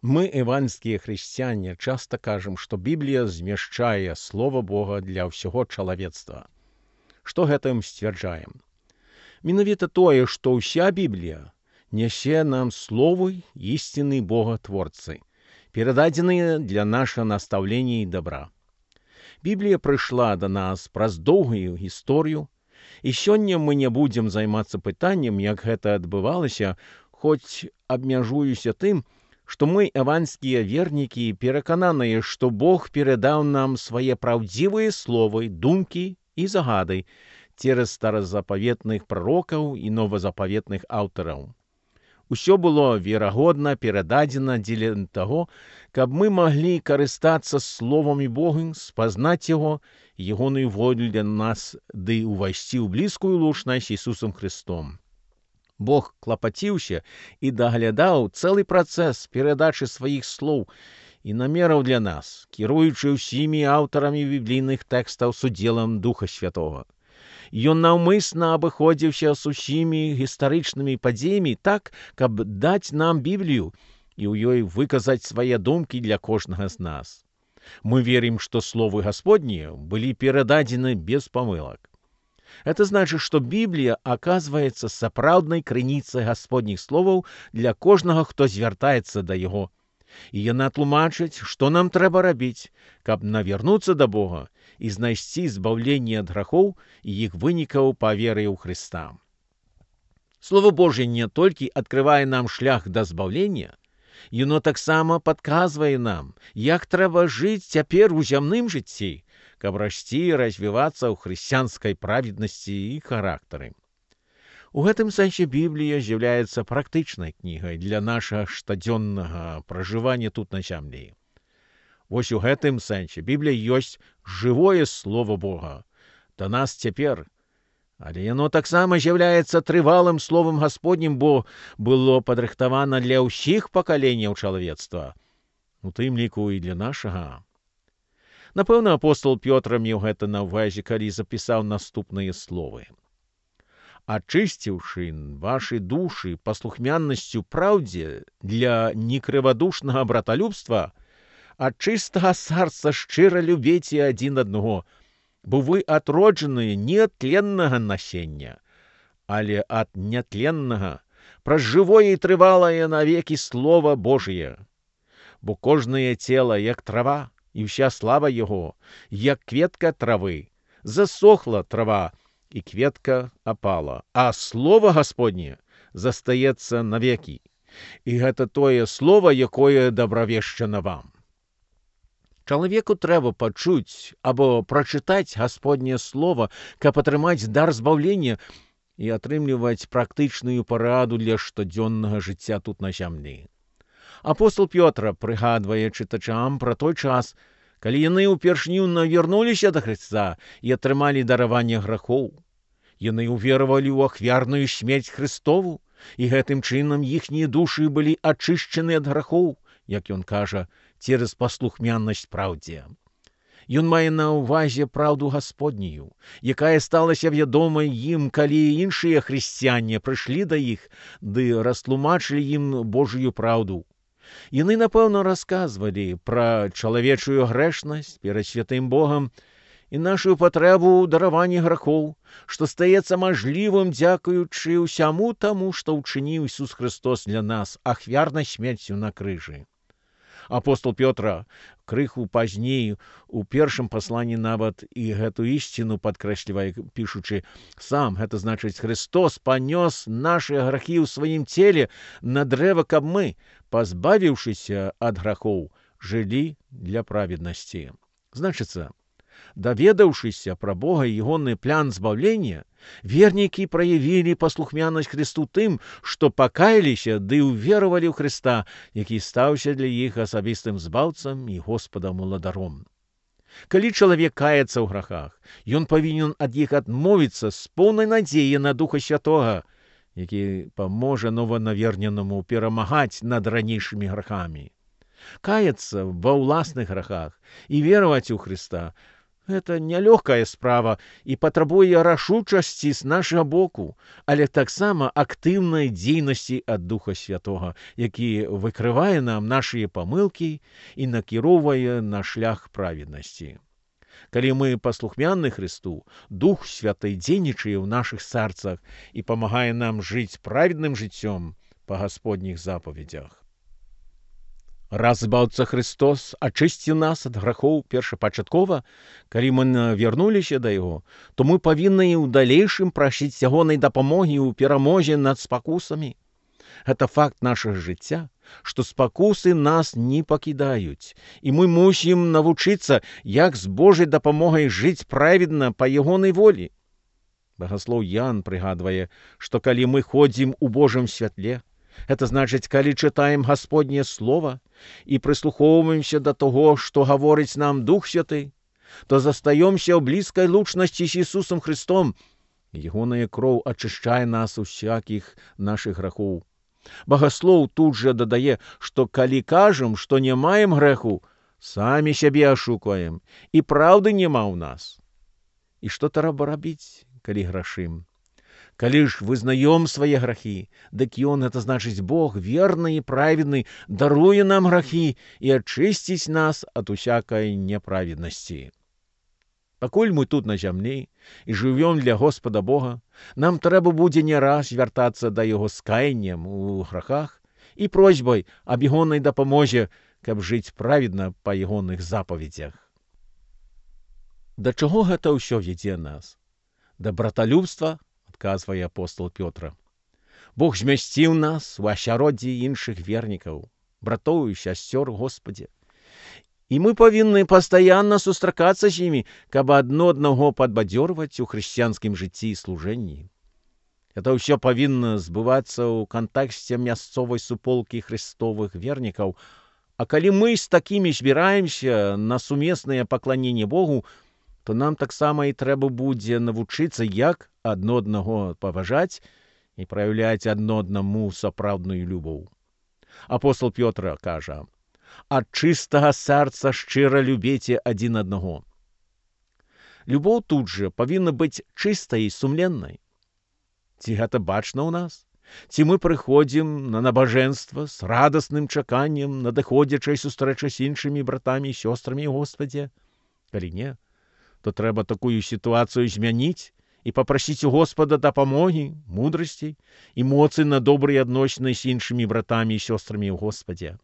Мы, евангельские христиане, часто кажем, что Біблія змяшчае Слова Бога для ўсяго чалавецтва. Што гэтым сцвярджаем? Менавіта тое, што ўся Біблія нясе нам словы істины Бога-творцы, перададзеныя для нашага настаўлення і добра. Біблія прыйшла да нас праз доўгую гісторыю, і сёння мы не будзем займацца пытаннем, як гэта адбывалася, хоць абмяжуюся тым, што мы, евангельскія вернікі, перакананыя, што Бог перадаў нам свае праўдзівыя словы, думкі і загады цераз старазапаветных прарокаў і новазапаветных аўтараў. Усё было верагодна перададзена дзеля таго, каб мы маглі карыстацца словамі Бога, спазнаць яго, ягоную волю для нас, ды ўвайсці ў блізкую лучнасць Ісусам Христом. Бог клапаціўся і даглядаў цэлы працэс перадачы сваіх слоў і намераў для нас, кіруючы ўсімі аўтарамі біблійных тэкстаў з удзелам Духа Святога. Ён наўмысна абыходзіўся з усімі гістарычнымі падзеямі так, каб даць нам Біблію і ў ёй выказаць свае думкі для кожнага з нас. Мы верим, што словы Гасподнія былі перададзены без памылак. Это значит, что Библия оказывается сапраўднай крыніцай Гасподніх словаў для кожнага, хто звяртаецца да яго. І яна тлумачыць, што нам трэба рабіць, каб навярнуцца да Бога і знайсці збаўленне ад грахоў і іх вынікаў па веры ў Хрыста. Слово Божье не толькі адкрывае нам шлях да збаўлення, яно таксама падказвае нам, як трэба жыць цяпер у зямным жыцці, каб расці і развівацца ў хрысціянскай праведнасці і характары. У гэтым сэнсе Біблія з'яўляецца практычнай кнігай для нашага штодзённага пражывання тут на зямлі. Вось у гэтым сэнсе Біблія ёсць жывое Слово Бога да нас цяпер, але яно таксама з'яўляецца трывалым Словам Гасподнім, бо было падрыхтавана для ўсіх пакаленняў чалавецтва, у тым ліку і для нашага. Напэўна, апостол Пётр меў гэта на ўвазе, калі запісаў наступныя словы. «Ачысціўшы вашы душы паслухмяннасцю праўдзе для некрывадушнага браталюбства, ад чыстага сарца шчыра любіце адзін аднаго, бо вы атроджаныя не ад тленнага насення, але ад нятленнага, праз жывое і трывалае навекі Слова Божие. Бо кожнае цела, як трава, і вся слава яго, як кветка травы, засохла трава, і кветка апала, а Слово Гасподне застаецца навекі. І гэта тое слово, якое дабравешчана вам». Чалавеку трэба пачуць або прачытаць Гасподняе Слово, каб атрымаць дар збаўлення і атрымліваць практычную параду для штодзённага жыцця тут на зямлі. Апостол Пётр прыгадвае чытачам пра той час, калі яны ўпершыню навярнуліся да Хрыста і атрымалі дараванне грахоў. Яны ўверавалі ў ахвярную смерць Христову, і гэтым чынам іхнія душы былі ачышчаны ад грахоў, як ён кажа, цераз паслухмяннасць праўдзе. Ён мае на ўвазе праўду Гасподнюю, якая сталася вядомай ім, калі іншыя хрысціяне прыйшлі да іх, ды растлумачылі ім Божую праўду. Яны, напэўна, расказвалі пра чалавечую грэшнасць перад святым Богам і нашу патрэбу ў дараванні грахоў, што стаецца мажлівым дзякуючы ўсяму таму, што ўчыніў Ісус Христос для нас ахвярнай смерцю на крыжы. Апостол Пётр крыху пазней у першым пасланні нават і гэту ісціну падкрэслівае, пішучы сам, гэта значыць, Христос панёс нашы грахі ў сваім целе на дрэва, каб мы, пазбавіўшыся ад грахоў, жылі для праведнасці. Значыцца, даведаўшыся пра Бога і ягоны план збаўлення, вернікі праявілі паслухмянасць Христу тым, што пакаяліся ды ўверавалі ў Христа, які стаўся для іх асабістым збаўцам і Господам-уладаром. Калі чалавек каецца ў грахах, ён павінен ад іх адмовіцца з поўнай надзеяй на Духа Святога, які паможа нованаверненаму перамагаць над ранейшымі грахамі. Каяцца ва ўласных грахах і вераваць у Христа – Гэта нялёгкая справа і патрабуе рашучасці з нашага боку, але таксама актыўнай дзейнасці ад Духа Святога, які выкрывае нам нашыя памылкі і накіроўвае на шлях праведнасці. Калі мы паслухмянны Христу, Дух Святы дзейнічае ў нашых сэрцах і памагае нам жыць праведным жыццём па Гасподніх запаведзях. Раз Збаўца Христос ачысціў нас ад грахоў першапачаткова, калі мы вярнуліся да Яго, то мы павінны і ў далейшым прасіць ягонай дапамогі ў перамозе над спакусамі. Гэта факт нашага жыцця, што спакусы нас не пакідаюць, і мы мусім навучыцца, як з Божай дапамогай жыць праведна па ягонай волі. Багаслоў Ян прыгадвае, што калі мы ходзім у Божым святле, гэта значыць, калі чытаем Гасподняе Слова і прыслухоўваемся да таго, што гаворыць нам Дух Святы, то застаёмся ў блізкай лучнасці з Ісусам Христом. Ягоная кроў ачышчае нас усякіх нашых грахоў. Багаслоў тут жа дадае, што калі кажам, што не маем грэху, самі сябе ашукваем, і праўды няма ў нас. І што трэба рабіць, калі грашым? Калі ж вызнаём свае грахі, дык Ён, гэта значыць Бог, верны і праведны, даруе нам грахі і ачысціць нас ад усякай няправеднасці. Пакуль мы тут на зямлі і жывём для Господа Бога, нам трэба будзе не раз вяртацца да Яго з каяннем у грахах і просьбай аб ягонай дапамозе, каб жыць праведна па ягоных запаведзях. Да чаго гэта ўсё вядзе нас? Да браталюбства, адказвае апостол Пётр. Бог змясціў нас у асяроддзі іншых вернікаў, братоў і сясцёр у Господе. І мы павінны пастаянна сустракацца з імі, каб адно аднаго падбадзёрваць у хрысціянскім жыцці і служэнні. Это ўсё павінна збывацца ў кантексце мясцовай суполкі хрыстовых вернікаў, а калі мы з такімі збіраемся на сумеснае пакланенне Богу, то нам таксама і трэба будзе навучыцца, як адно аднаго паважаць і праяўляць адно аднаму сапраўдную любоў. Апостол Пётр кажа: «Ад чыстага сэрца шчыра любіце адзін аднаго». Любоў тут жа павінна быць чыстай і сумленнай. Ці гэта бачна ў нас? Ці мы прыходзім на набажэнства з радасным чаканнем надыходзячай сустрэчы з іншымі братамі і сёстрамі ў Господзе? Калі не, то трэба такую сітуацыю змяніць і папрасіць у Господа дапамогі, мудрасці і моцы на добрыя адносіны з іншымі братамі і сёстрамі ў Господзе.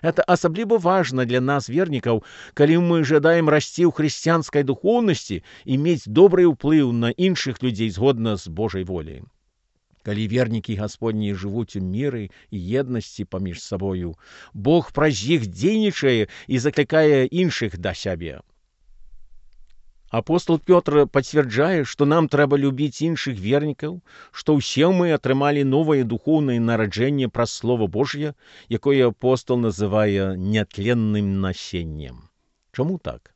Это асабліва важна для нас, вернікаў, калі мы жадаем расці ў хрысціянскай духоўнасці і мець добры ўплыў на іншых людзей згодна з Божай волей. Калі вернікі Гасподні жывуць у міры і еднасці паміж сабою, Бог праз іх дзейнічае і заклікае іншых да сябе. Апостол Пётр пацвярджае, што нам трэба любіць іншых вернікаў, што ўсе мы атрымалі новае духоўнае нараджэнне праз Слова Божье, якое апостол называе нятленным насеннем. Чаму так?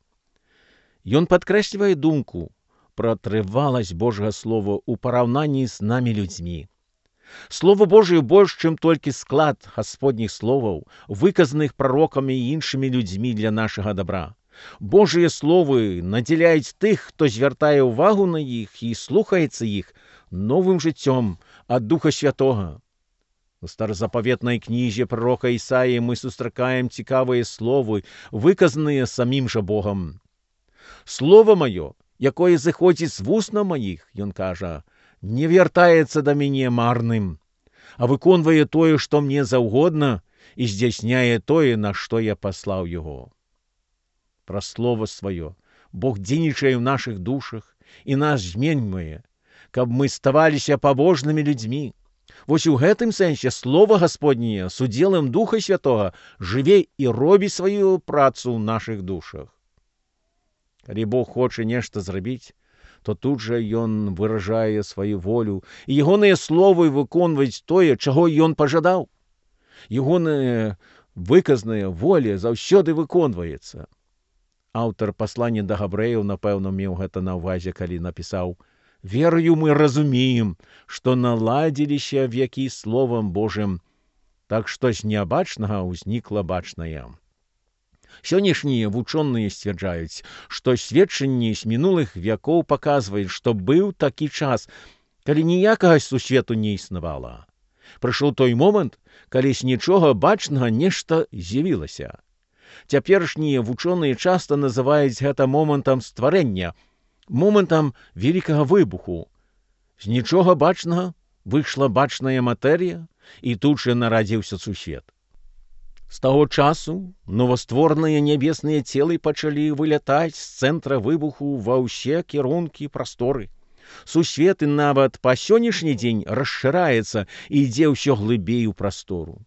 Ён падкрэслівае думку пра трываласць Божага Слова ў параўнанні з намі людзьмі. Слово Божие больш, чым толькі склад Гасподніх словаў, выказаных прарокамі і іншымі людзьмі для нашага добра. Божыя словы надзяляюць тых, хто звяртае ўвагу на іх і слухаецца іх, новым жыццём ад Духа Святога. У старазапаветнай кнізе пророка Ісаі мы сустракаем цікавыя словы, выказаныя самім жа Богам. «Слово маё, якое зыходзіць з вусна маіх, — ён кажа, — не вяртаецца да мяне марным, а выконвае тое, што мне заўгодна, і здзяйсняе тое, на што я паслаў яго». Праз Слово сваё Бог дзейнічае ў нашых душах і нас зменьвае, каб мы ставаліся пабожнымі людзьмі. Вось у гэтым сэнсе Слово Гасподняе з удзелам Духа Святога жыве і робіць сваю працу ў нашых душах. Калі Бог хоча нешта зрабіць, то тут жа Ён выражае сваю волю, і ягоныя словы выконваюць тое, чаго Ён пажадаў. Ягоная выказаная воля заўсёды выконваецца. Аўтар паслання да габрэяў, напэўна, меў гэта на ўвазе, калі напісаў: «Верою мы разумеем, што наладзіліся векі Словам Божым, так што з нябачнага ўзнікла бачнае». Сённяшнія вучоныя сцвярджаюць, што сведчанні з мінулых вякоў паказваюць, што быў такі час, калі ніякага сусвету не існавала. Прыйшоў той момант, калі з нічога бачнага нешта з'явілася. Цяперашнія вучоныя часта называюць гэта момантам стварэння, момантам вялікага выбуху. З нічога бачнага выйшла бачная матэрыя, і тут жа нарадзіўся сусвет. З таго часу новаствораныя нябесныя целы пачалі вылятаць з цэнтра выбуху ва ўсе кірункі прасторы. Сусвет і нават па сённяшні дзень расшыраецца і ідзе ўсё глыбей у прастору.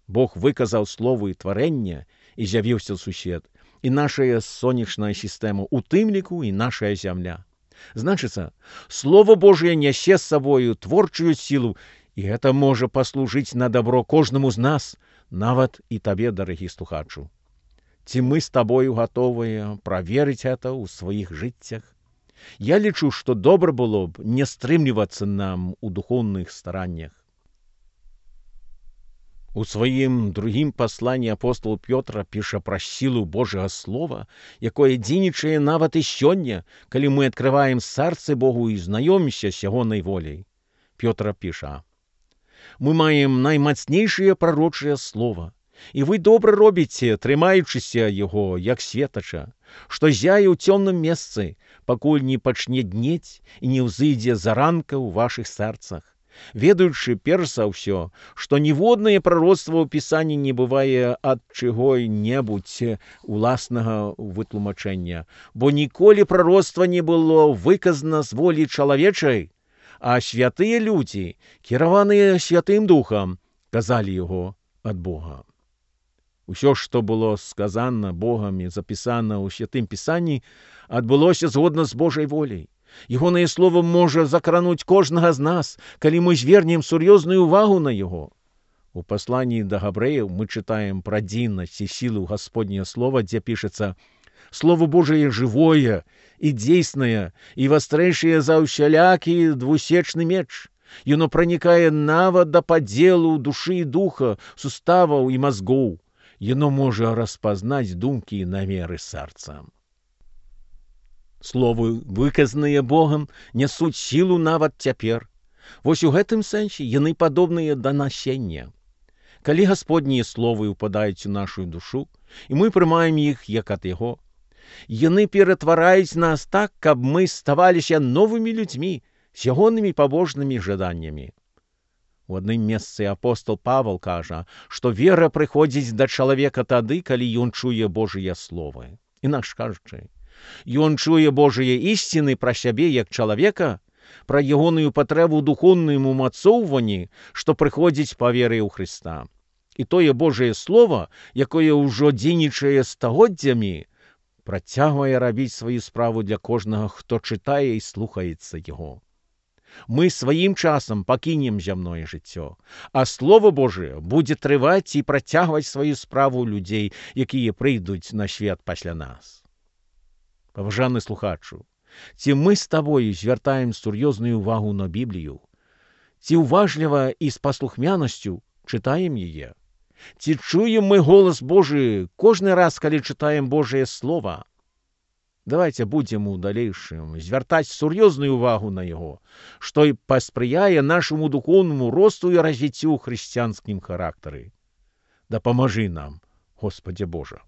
Бог выказаў словы тварэння, і з'явіўся сусвет, і нашая сонечная сістэма, у тым ліку і нашая зямля. Значыцца, Слово Божие нясе з сабою творчую сілу, і гэта можа паслужыць на дабро кожнаму з нас, нават і табе, дарагі слухачу. Ці мы з табою гатовыя праверыць гэта ў сваіх жыццях? Я лічу, што добра было б не стрымлівацца нам у духоўных стараннях. У сваім другім пасланні апостол Пётр піша пра сілу Божага Слова, якое дзейнічае нават і сёння, калі мы адкрываем сэрцы Богу і знаёмімся з ягонай воляй. Пётр піша: «Мы маем наймацнейшае прарочае слова, і вы добра робіце, трымаючыся яго, як светача, што зяе ў цёмным месцы, пакуль не пачне днець і не ўзыдзе заранка ў вашых сэрцах, ведаючы перш за ўсё, што ніводнае прароцтва ў Пісанні не бывае ад чаго-небудзь уласнага вытлумачэння, бо ніколі прароцтва не было выказана з волі чалавечай, а святыя людзі, кіраваныя Святым Духам, казалі яго ад Бога». Усё, што было сказана Богам і запісана ў Святым Пісанні, адбылося згодна з Божай воляй. Ягонае слово можа закрануць кожнага з нас, калі мы звернем сур'ёзную ўвагу на яго. У пасланні да габрэяў мы чытаем пра дзейнасць і сілу Гасподняе слова, дзе пішацца: «Слово Божие жывое і дзейснае, і вастрэйшае за ўсялякі двусечны меч. Яно пранікае нават да падзелу душы і духа, суставаў і мазгоў. Яно можа распазнаць думкі і намеры сэрца». Словы, выказаныя Богам, нясуць сілу нават цяпер. Вось у гэтым сэнсе яны падобныя да насення. Калі Гасподнія словы ўпадаюць у нашу душу, і мы прымаем іх як ад яго, яны ператвараюць нас так, каб мы ставаліся новымі людзьмі з ягонымі пабожнымі жаданнямі. У адным месцы апостол Павел кажа, што вера прыходзіць да чалавека тады, калі ён чуе Божыя словы. Інакш кажучы, ён чуе Божыя ісціны пра сябе як чалавека, пра ягоную патрэбу духоўным умацоўванні, што прыходзіць па веры ў Хрыста. І тое Божае Слово, якое ўжо дзейнічае стагоддзямі, працягвае рабіць сваю справу для кожнага, хто чытае і слухаецца яго. Мы сваім часам пакінем зямное жыццё, а Слово Божие будзе трываць і працягваць сваю справу людзей, якія прыйдуць на свет пасля нас. Паважаны слухачу, ці мы з табою звяртаем сур'ёзную ўвагу на Біблію? Ці ўважліва і з паслухмянасцю чытаем яе? Ці чуем мы голас Божы кожны раз, калі чытаем Божае Слово? Давайте будзем у далейшым звяртаць сур'ёзную ўвагу на яго, што і паспрыяе нашаму духоўнаму росту і развіццю ў хрысціянскім характары. Дапамажы нам, Господзе Божа.